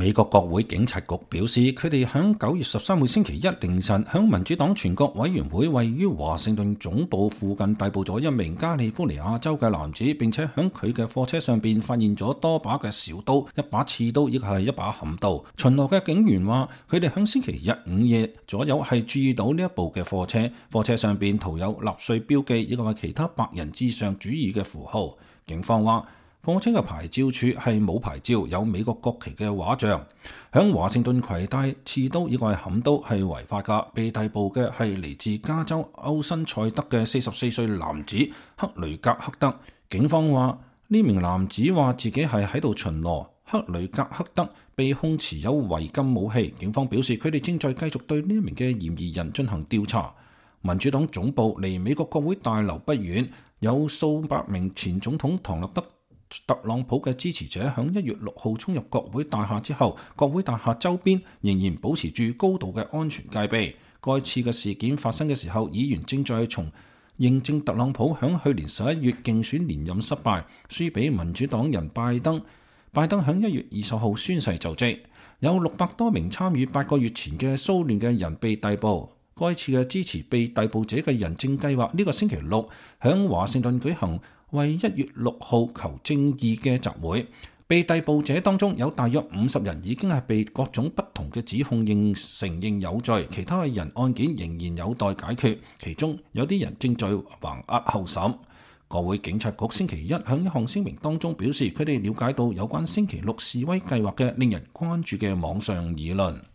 美國國會警察局表示，佢哋喺9月13號星期一凌晨，向民主黨全國委員會位於華盛頓總部附近逮捕咗一名加利福尼亞州嘅男子，並且喺佢嘅貨車上邊發現咗多把嘅小刀、一把刺刀，亦係一把砍刀。巡邏嘅警員話，佢哋喺星期日午夜左右係注意到呢一部嘅貨車，貨車上邊塗有納粹標記，以及係其他白人至上主義嘅符號。警方話，貨車嘅牌照處係冇牌照，有美國國旗嘅畫像。響華盛頓攜帶刺刀以及砍刀係違法㗎。被逮捕嘅係嚟自加州歐辛塞德嘅44歲男子克雷格克德。警方話，呢名男子話自己係喺度巡邏。克雷格克德被控持有違禁武器。警方表示，佢哋正在繼續對呢一名嘅嫌疑人進行調查。民主黨總部離美國國會大樓不遠，有數百名前總統唐納德特朗普嘅支持者喺1月6號衝入國會大廈之後，國會大廈周邊仍然保持住高度嘅安全戒備。該次嘅事件發生嘅時候，議員正在認證特朗普喺去年11月競選連任失敗，輸俾民主黨人拜登。拜登喺1月20號宣誓就職。有600多名參與8個月前嘅騷亂嘅人被逮捕。該次嘅支持被逮捕者嘅人正計劃呢個星期六喺華盛頓舉行為1月6號求正義嘅集會。被逮捕者當中有大約50人已經係被各種不同嘅指控承認有罪，其他嘅人案件仍然有待解決，其中有啲人正在橫押候審。國會警察局星期一喺一項聲明當中表示，佢哋了解到有關星期六示威計劃嘅令人關注嘅網上議論。